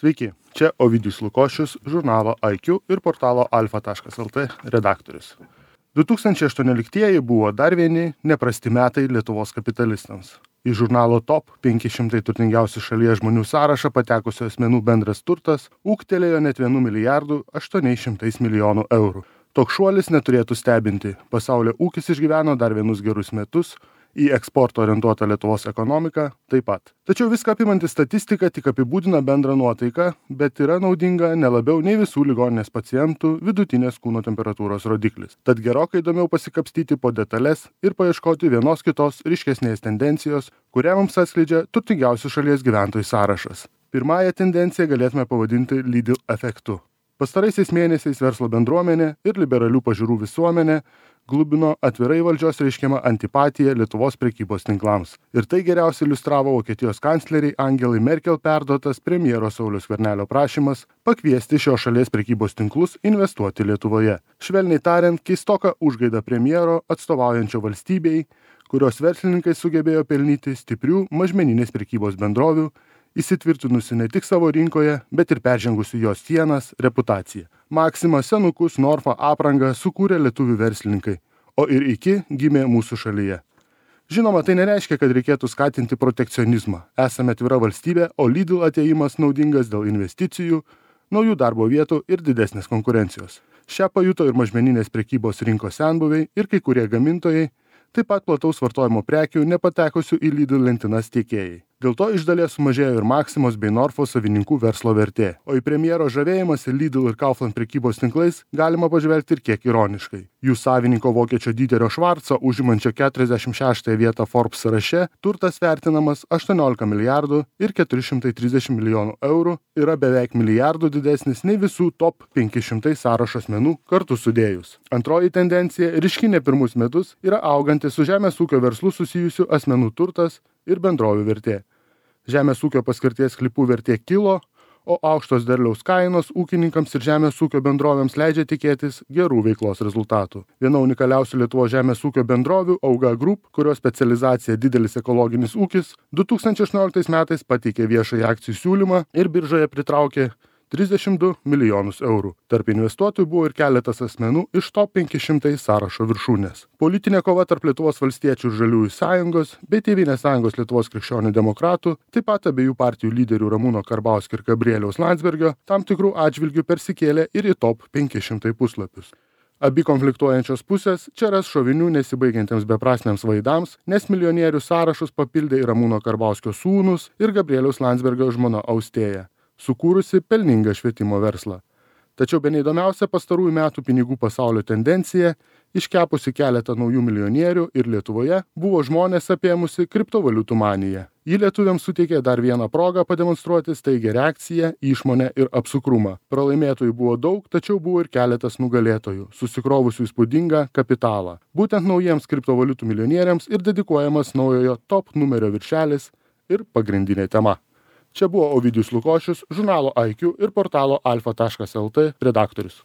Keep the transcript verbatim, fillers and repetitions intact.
Sveiki, čia Ovidijus Lukošius, žurnalo I Q ir portalo alfa taškas el t redaktorius. du tūkstančiai aštuonioliktieji buvo dar vieni neprasti metai Lietuvos kapitalistams. Į žurnalo Top penki šimtai turtingiausių šalies žmonių sąrašą patekusių asmenų bendras turtas ūgtelėjo net vienu milijardu aštuoniais šimtais milijonų eurų. Toks šuolis neturėtų stebinti. Pasaulio ūkis išgyveno dar vienus gerus metus, į eksporto orientuotą Lietuvos ekonomiką taip pat. Tačiau viską apimanti statistika tik apibūdina bendrą nuotaiką, bet yra naudinga ne labiau nei visų ligoninės pacientų vidutinės kūno temperatūros rodiklis. Tad gerokai įdomiau pasikapstyti po detalės ir paieškoti vienos kitos ryškesnės tendencijos, kurią mums atskleidžia turtingiausių šalies gyventojų sąrašas. Pirmąją tendenciją galėtume pavadinti Lidl efektu. Pastaraisiais mėnesiais verslo bendruomenė ir liberalių pažiūrų visuomenė glubino atvirai valdžios reiškiamą antipatiją Lietuvos prekybos tinklams. Ir tai geriausiai iliustravo Vokietijos kancleriai Angelai Merkel perduotas premjero Sauliaus Skvernelio prašymas pakviesti šios šalies prekybos tinklus investuoti Lietuvoje. Švelniai tariant, keistoka užgaida premjero atstovaujančio valstybei, kurios verslininkai sugebėjo pelnyti stiprių mažmeninės prekybos bendrovių, įsitvirtinusi ne tik savo rinkoje, bet ir peržengusi jos sienas reputaciją. Maxima, senukus, Norfa aprangą sukūrė lietuvių verslininkai, o ir iki gimė mūsų šalyje. Žinoma, tai nereiškia, kad reikėtų skatinti protekcionizmą. Esame atvira valstybė, o Lidl atėjimas naudingas dėl investicijų, naujų darbo vietų ir didesnės konkurencijos. Šią pajuto ir mažmeninės prekybos rinkos senbuviai ir kai kurie gamintojai, taip pat plataus vartojimo prekių nepatekusių į Lidl lentynas tiekėjai. Dėl to iš dalies sumažėjo ir Maximos bei Norfos savininkų verslo vertė. O į premjero žavėjimąsi Lidl ir Kaufland prekybos tinklais galima pažvelgti ir kiek ironiškai. Jų savininko vokiečio Dieterio Švarco užimančio keturiasdešimt šeštąją vietą Forbes sąraše turtas vertinamas aštuoniolika milijardų ir keturi šimtai trisdešimt milijonų eurų yra beveik milijardų didesnis nei visų top penki šimtai sąrašo asmenų kartu sudėjus. Antroji tendencija, ryški ne pirmus metus, yra augantis su žemės ūkio verslu susijusių asmenų turtas ir bendrovių vertė. Žemės ūkio paskirties sklypų vertė kilo, o aukštos derliaus kainos ūkininkams ir žemės ūkio bendrovėms leidžia tikėtis gerų veiklos rezultatų. Viena unikaliausių Lietuvos žemės ūkio bendrovių Auga Group, kurios specializacija didelis ekologinis ūkis, du tūkstančiai aštuonioliktais metais pateikė viešąjį akcijų siūlymą ir biržoje pritraukė trisdešimt du milijonus eurų. Tarp investuotojų buvo ir keletas asmenų iš top penki šimtai sąrašo viršūnės. Politinė kova tarp Lietuvos valstiečių ir Žaliųjų sąjungos bei Tėvynės sąjungos Lietuvos krikščionių demokratų, taip pat abiejų partijų lyderių Ramūno Karbauskio ir Gabrieliaus Landsbergio, tam tikrų atžvilgių persikėlė ir į top penki šimtai puslapius. Abi konfliktuojančios pusės čia ras šovinių nesibaigiantiems beprasmiams vaidams, nes milijonierių sąrašus papildė ir Ramūno Karbauskio sūnus ir Gabrieliaus Landsbergio žmona Austėja, sukūrusi pelningą švietimo verslą. Tačiau bene įdomiausia pastarųjų metų pinigų pasaulio tendencija, iškepusi keletą naujų milijonierių ir Lietuvoje, buvo žmonės apėmusi kriptovaliutų maniją. Ji lietuviams suteikė dar vieną progą pademonstruoti staigią reakciją, išmonę ir apsukrumą. Pralaimėtojų buvo daug, tačiau buvo ir keletas nugalėtojų, susikrovusių įspūdingą kapitalą. Būtent naujiems kriptovaliutų milijonieriams ir dedikuojamas naujojo top numerio viršelis ir pagrindinė tema. Čia buvo Ovidijus Lukošius, žurnalo I Q ir portalo alfa taškas el t redaktorius.